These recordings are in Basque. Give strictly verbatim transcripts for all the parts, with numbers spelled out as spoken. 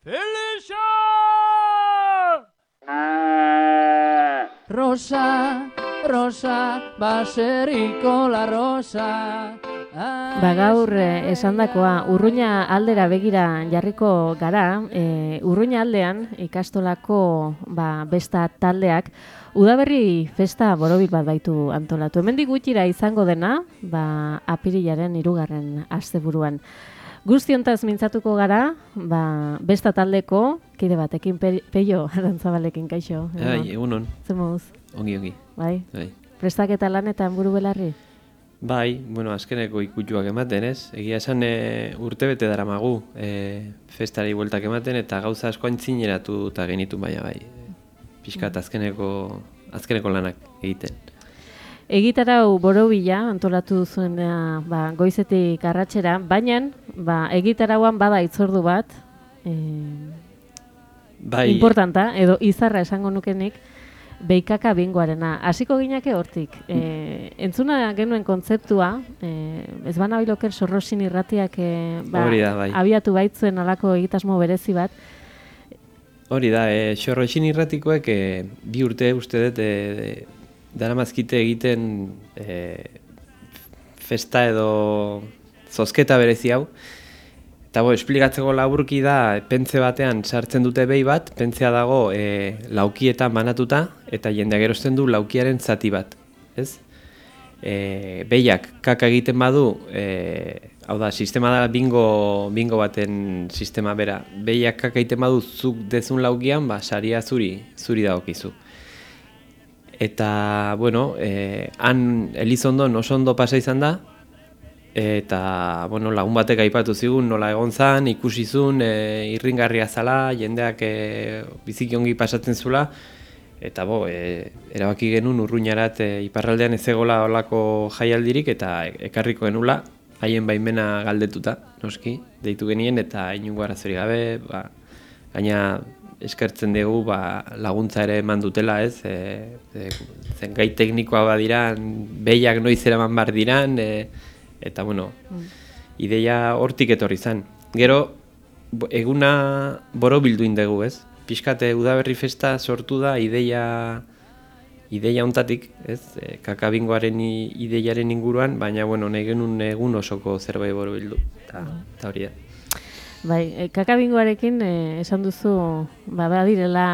Felixa! Rosa, rosa, baserriko la rosa. Ba gaur eh, esandakoa Urruña aldera begira jarriko gara. E, Urruña aldean ikastolako ba, besta taldeak udaberri festa borobil bat baitu antolatu. Hemendik gutxira izango dena, ba, apirilaren hirugarren asteburuan. Guztiontaz mintzatuko gara, ba, besta taldeko kide batekin pe, Peio Arantzabalekin kaixo. Ai, egunon. Zemuz? Ongi, ongi. Bai. Bai. Prestaketa lanetan buru belarri? Bai, bueno, azkeneko ikutxuak ematen, ez? Egia esan e, urtebete daramagu e, festari bueltak ematen eta gauza asko aintzineratu eta genitu baina bai. Pixkat azkeneko, azkeneko lanak egiten. Egitarau borobila antolatu zuen ba, goizetik arratsera, baina ba, egitarauan bada itzordu bat e, bai, importanta, edo izarra esango nukenik, Beikaka bingoarena. Hasiko ginake hortik. E, entzuna genuen kontzeptua, e, ez bana biloker Sorrosin irratiak e, ba, da, bai. abiatu baitzuen alako egitasmo berezi bat. Hori da, e, Sorrosin irratikoek e, bi urte uste dut e, daramazkite egiten e, festa edo zozketa berezi hau. Eta bo, esplikatzeko laburki da, pentze batean sartzen dute behi bat, pentzea dago e, laukietan banatuta, eta jendeak erosten du laukiaren zati bat, ez? E, behiak kaka egiten badu, e, hau da, sistema da bingo, bingo baten sistema bera. Behiak kaka egiten badu zuk dezun laukian, ba, saria zuri, zuri dagokizu. Eta, bueno, e, han Elizondon oso ondo pasa izan da, eta, bueno, lagun batek aipatu zigun nola egon zan, ikusi zuen, e, irringarria zala, jendeak e, biziki ongi pasatzen zula, eta bo, e, erabaki genuen Urruñarat e, iparraldean ez egola olako jaialdirik, eta ekarriko genula, haien baimena galdetuta, noski, deitu genien, eta inungo arazorik gabe, ba, gaina eskertzen dugu ba, laguntza ere eman dutela, ez, e, e, zen gai teknikoa badiran, behiak noiz eraman bar diran, e, eta, bueno, mm. ideia hortik etorri zen. Gero, eguna borobildu indegu, ez? Pixkate udaberri festa sortu da ideia ideia hontatik, ez? E, kakabingoaren ideiaren inguruan, baina, bueno, nahi genuen egun osoko zerbait borobildu, eta hori da. Bai, e, kakabingoarekin e, esan duzu, ba, badirela,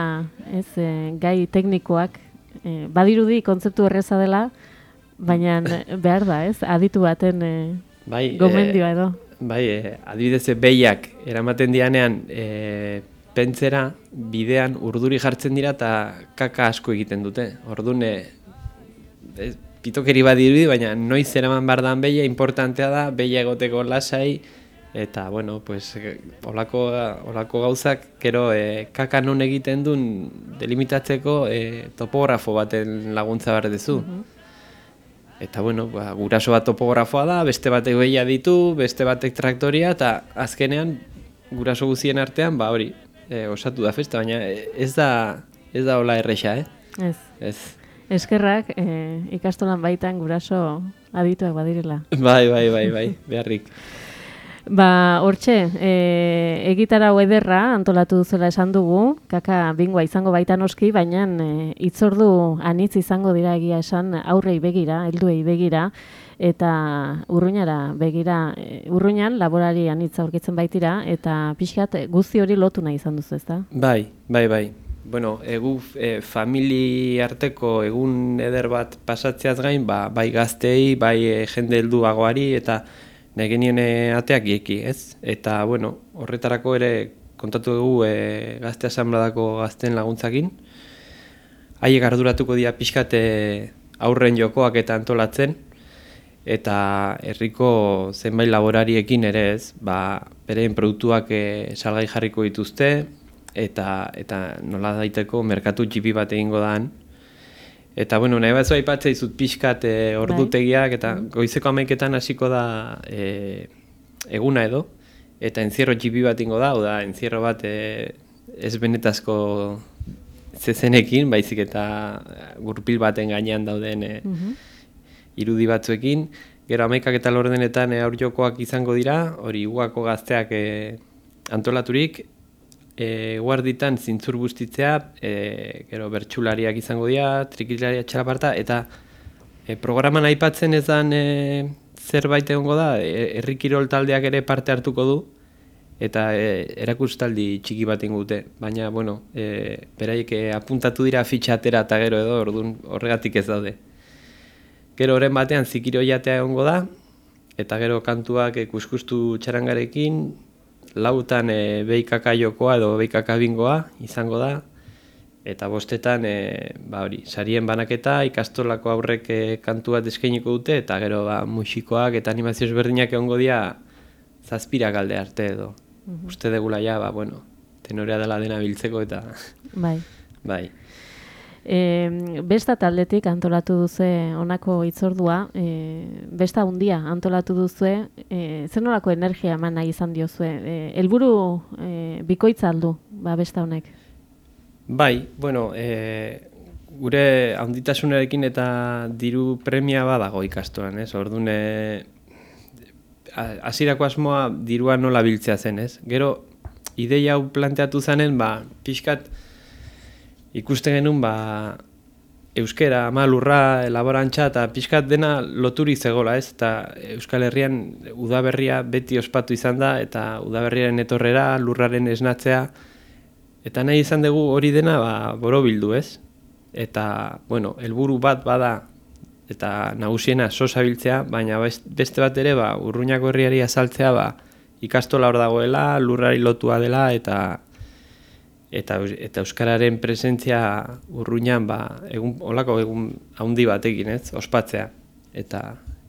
ez, e, gai teknikoak, e, badirudi kontzeptu erreza dela, baina behar da, ez? Aditu baten e, bai, gomendioa edo. E, bai, e, adibidez behiak eramaten dianean e, pentzera bidean urduri jartzen dira eta kaka asko egiten dute. Orduan, e, pitokeri badirudi, baina noiz eraman bardan behia, importantea da, behia egoteko lasai, eta, bueno, pues, olako, olako gauzak, gero, e, kaka non egiten duen delimitatzeko e, topografo baten laguntza behar dezu. Uh-huh. Eta, bueno, ba, guraso bat topografoa da, beste batek behia ditu, beste batek traktoria, eta azkenean, guraso guzien artean, ba hori, e, osatu da festa, baina ez da, ez da hola erresa, eh? Ez. Ez. Eskerrak, e, ikastolan baitan guraso adituak badirela. Bai, bai, bai, bai, beharrik. Ba, hortxe, e, egitarau ederra antolatu duzuela esan dugu, kaka bingoa izango baita noski, baina e, itzordu anitz izango dira egia esan aurrei begira, helduei begira, eta Urruñara begira, e, Urruñan laborari anitz aurkitzen baitira, eta pixkat guzti hori lotu nahi izan duzu, ezta? Bai, bai, bai. Bueno, egu e, famili arteko egun eder bat pasatzeaz gain, ba, bai gaztei, bai e, jende helduagoari, eta nahi genien ateak gieki, ez? Eta, bueno, horretarako ere kontatu dugu e, gazte asanbladako gazten laguntzakin. Haiek arduratuko dira pixkat aurren jokoak eta antolatzen, eta herriko zenbait laborariekin ere, ez? Ba, bereen produktuak e, salgai jarriko dituzte, eta, eta nola daiteko merkatu txipi bat egingo daan. Eta, bueno, nahi batzu aipatzea izut pixkat e, ordutegiak, eta goizeko amaiketan hasiko da e, eguna edo, eta entzierro txipi bat ingo da, oda, entzierro bat e, ez benetazko zezenekin, baizik eta gurpil baten gainean dauden e, uh-huh. irudi batzuekin. Gero amaikak eta laurdenetan e, aurjokoak izango dira, hori ugako gazteak e, antolaturik, e, guarditan zintzur bustitzea, e, gero bertsulariak izango dira, trikilaria txalaparta, eta e, programan aipatzen ezan e, zerbait egongo da, e, herri kirol taldeak ere parte hartuko du, eta e, erakustaldi txiki bat ingo dute, baina, bueno, e, beraiek e, apuntatu dira fitxatera eta gero edo, orduan horregatik ez daude. Gero horren batean zikiro jatea egongo da, eta gero kantuak e, kuskustu txarangarekin, lautan e, beikaka jokoa edo beikaka bingoa izango da, eta bostetan e, ba hori, sarien banaketa, ikastolako aurrek e, kantu bat eskainiko dute, eta gero ba, musikoak eta animazio ezberdinak egongo dira zazpirak alde arte edo. Mm-hmm. Uste degula ja, ba, bueno, tenorea dela dena biltzeko eta... Bai. Bai. E, besta taldetik antolatu duze honako hitzordua, e, besta hundia antolatu duzue, e, zer nolako energia eman nahi izan diozue? E, helburu e, bikoitza aldu, ba, besta honek? Bai, bueno, e, gure handitasunarekin eta diru premia badago ikastolan, ez? Orduan, e, hasierako asmoa dirua nola biltzea zen, ez? Gero, ideia hau planteatu zanen, ba, pixkat ikusten genuen, ba, euskera, ama, lurra, elaborantza, eta pixkat dena loturi zegola, ez? Eta Euskal Herrian udaberria beti ospatu izan da, eta udaberriaren etorrera, lurraren esnatzea, eta nahi izan dugu hori dena ba, borobildu, ez? Eta, bueno, helburu bat bada, eta nagusiena sosa biltzea, baina beste bat ere, ba, Urruñako herriari azaltzea, ba, ikastola hor dagoela, lurrari lotua dela, eta eta, eta euskararen presentzia Urruñan, ba, egun, olako egun haundi batekin, ez? Ospatzea. Eta,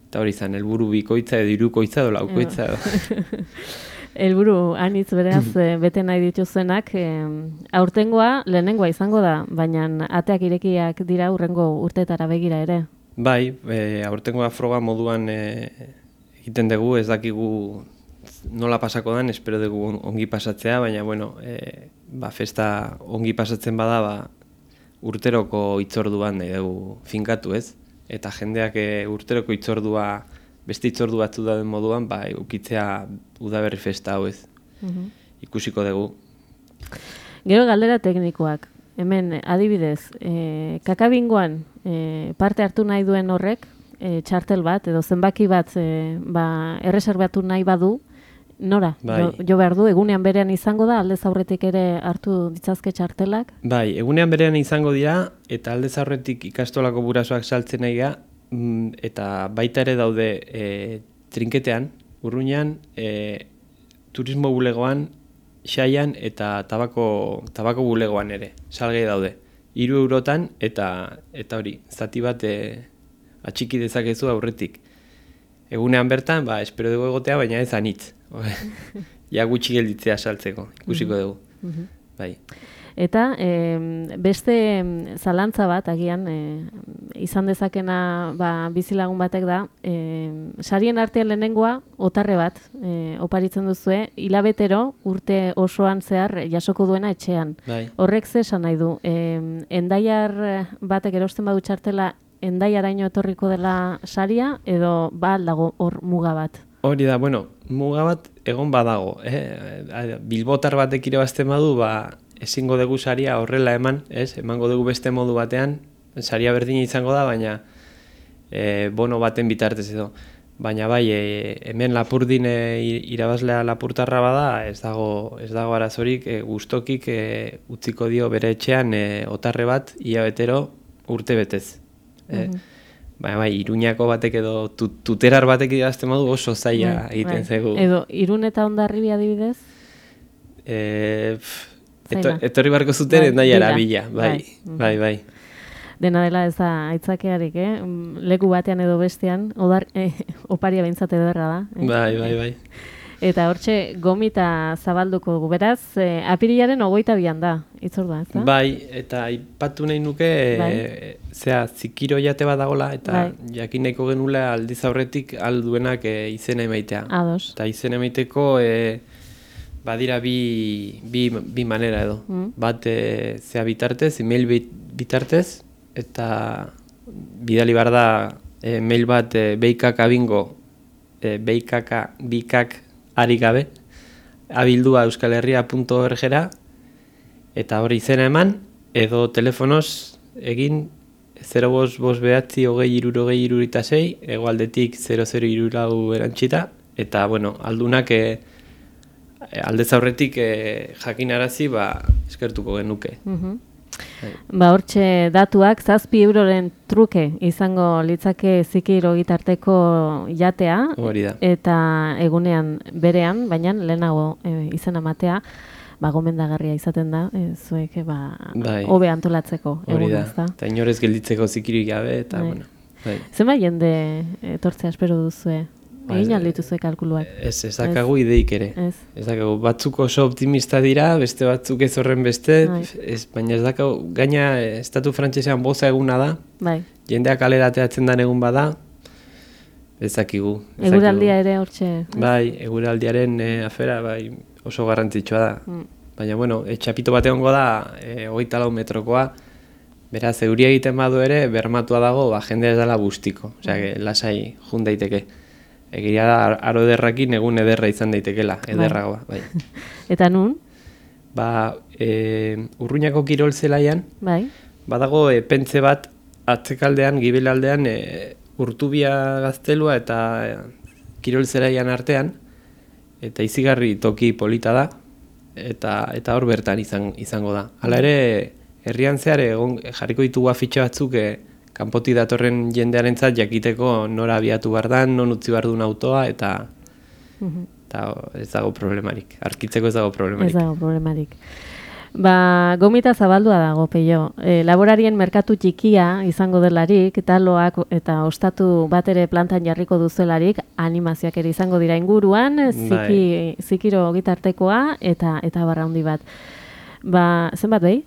eta hori izan, helburu bikoitza edo hirukoitza edo laukoitza edo. Helburu anitz beraz bete nahi dituzenak, e, aurtengoa lehenengoa izango da, baina ateak irekiak dira hurrengo urtetara begira ere. Bai, e, aurtengoa froga moduan e, egiten dugu, ez dakigu nola pasako dan, espero dugu ongi pasatzea, baina bueno, e, ba, festa ongi pasatzen bada, ba, urteroko hitzorduan nahi dugu finkatu, ez? Eta jendeak e, urteroko hitzordua, beste hitzordu batzu dauden moduan, ba, ukitzea udaberri festa hau, ez? Uh-huh. Ikusiko dugu. Gero galdera teknikoak. Hemen, adibidez, e, kakabingoan e, parte hartu nahi duen horrek, e, txartel bat, edo zenbaki bat e, ba, erreserbatu nahi badu, nora? Bai. Jo, jo behar du, egunean berean izango da, aldez aurretik ere hartu ditzazke txartelak? Bai, egunean berean izango dira, eta aldez aurretik ikastolako burasoak saltzen nahi ga, eta baita ere daude e, trinketean, Urruñan, e, turismo bulegoan, xaian eta tabako, tabako bulegoan ere, salgai daude. Hiru eurotan eta eta hori, zati bat e, atxiki dezakezu aurretik. Egunean bertan, ba, espero dugu egotea, baina ez anitz. Ja gutxi gelditzea saltzeko, ikusiko dugu. Uh-huh. Bai. Eta e, beste zalantza bat, agian, e, izan dezakena ba, bizilagun batek da, e, sarien artean lehenengoa, otarre bat, e, oparitzen duzue, hilabetero urte osoan zehar jasoko duena etxean. Bai. Horrek ze esan nahi du, e, endaiar batek erosten badu txartela, endaiaraino etorriko dela saria, edo ba dago hor muga bat? Hori da, bueno, muga bat egon badago. Eh? Bilbotar batek irabazten badu, ba, ezingo dugu saria horrela eman, ez? Emango dugu beste modu batean, saria berdina izango da, baina e, bono baten bitartez edo. Baina bai, e, hemen Lapurdin e, irabazlea Lapurtarra bada, ez dago, ez dago arazorik, e, gustokik e, utziko dio bere etxean e, otarre bat, ia betero urte betez. E, uh-huh. Baina bai, Iruñako batek edo tut, tuterar batek irabazten badu oso zaila bai, egiten bai. Zegu. Edo, Irun eta Hondarribia adibidez? E, Eto, etorri barko zuten, bai, nahi arabila, bai, bai, bai, bai. Dena dela ez da aitzakearik, eh? Leku batean edo bestean, odar, eh, oparia behintzat ederra da. Eh? Bai, bai, bai. Eta hortxe, gomita zabalduko dugu, beraz, eh, apirilaren ogoita bian da, itzordua, ez da? Bai, eta aipatu nahi nuke, bai. e, zera, zikiro jate bat dagoela, eta bai. Jakin nahiko genula aldiz aurretik alduenak e, izena emaitea. Ados. Eta izena emaiteko... E, badira bi, bi, bi manera edo. Mm. Bat e, zea bitartez, email bitartez, eta bidali behar da e, mail bat e, beikakabingo, e, beikaka bikak ari gabe, abildua euskalherria punto org-era, eta hori izena eman, edo telefonoz egin zero bost bost behatzi hogei hirurogei hirurita sei, hegoaldetik zero zero hiru lau erantxita, eta bueno, aldunak e, aldez aurretik e, jakinarazi ba, eskertuko genuke. Mhm. Ba, hortxe datuak, zazpi euroren truke izango litzake Zikiro gitarteko jatea, Hori da. eta egunean berean, baina lehenago e, izena matea, ba, gomendagarria izaten da, e, zuek e, ba, Bai. hobe antolatzeko Hori eguna, da, ezta? eta inorez gelditzeko zikirik gabe, eta Bai. bueno. Bai. Zenbat jende etortzea espero duzue? Ba, Egin ez- aldituzue kalkuluak? Ez, ez dakagu ideik ere. Ez. Ez dakagu, batzuk oso optimista dira, beste batzuk ez horren beste, Bai. ez, baina ez dakagu, gaina eh, estatu frantsesean boza eguna da, Bai. jendeak kalera ateratzen den egun bada, ez dakigu. ez Eguraldia dakigu. ere hortxe. Bai, eguraldiaren eh, afera bai, oso garrantzitsua da. Mm. Baina, bueno, e, txapito bat egongo da, e, hogeita lau metrokoa, beraz, euria egiten badu ere, bermatua dago, ba, jendea ez dela bustiko. Osea, que lasai jun daiteke. Egia da, aro ederrakin egun ederra izan daitekela, ederragoa, bai. Eta nun? Ba, e, Urruñako kirol zelaian, Bai. badago e, pentze bat, atzekaldean, gibelaldean, e, Urtubia gaztelua eta e, kirol zelaian artean, eta izigarri toki polita da, eta eta hor bertan izan, izango da. Hala ere, herrian zehar egon jarriko ditugu afitxe batzuk e, kanpotik datorren jendearentzat jakiteko nora abiatu behar dan, non utzi behar duen autoa, eta, Mhm. eta ez dago problemarik. Arkitzeko ez dago problemarik. Ez dago problemarik. Ba, gomita zabaldua dago, Peio. E, laborarien merkatu txikia izango delarik, taloak eta ostatu bat ere plantan jarriko duzuelarik, animazioak ere izango dira inguruan, ziki, zikiro gitartekoa eta eta barra handi bat. Ba, zenbat behi?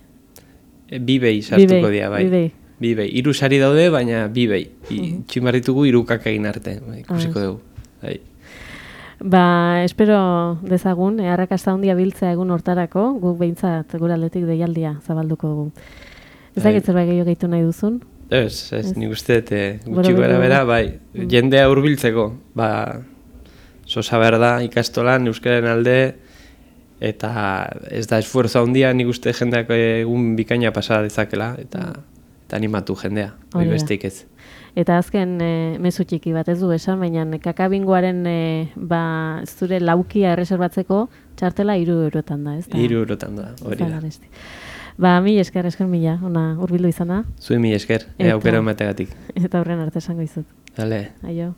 E, bi behi sartuko Bi behi, dira, bai. bi behi. Bi behi. Hiru sari daude, baina bi behi. I, txin behar ditugu hirukak egin arte. Bai, ikusiko dugu. Bai. Ba, espero dezagun, eh, arrakasta handia biltzea egun hortarako, guk behintzat gure aldetik deialdia zabalduko dugu. Ez Bai. dakit zerbait gehiago gehitu nahi duzun? Ez, ez, nik uste, dut, eh, Boro gutxi bero. bera bera, bai, jendea hurbiltzeko, ba, sosa behar da ikastolan, euskararen alde, eta ez da esfuerzo handia, nik uste jendeak egun bikaina pasa dezakela, eta, eta animatu jendea, hori Hori da. besteik ez. Eta azken e, mezu txiki bat ez du esan, baina kakabingoaren e, ba, zure laukia erreserbatzeko txartela hiru eurotan da, ez da? Hiru eurotan da, hori da. Zagaresti. Ba, mi esker, esker mila, ona hurbildu izana, Zuen mi esker, Eta- e, aukera emategatik. eta horren arte esango izut. Dale. Aio.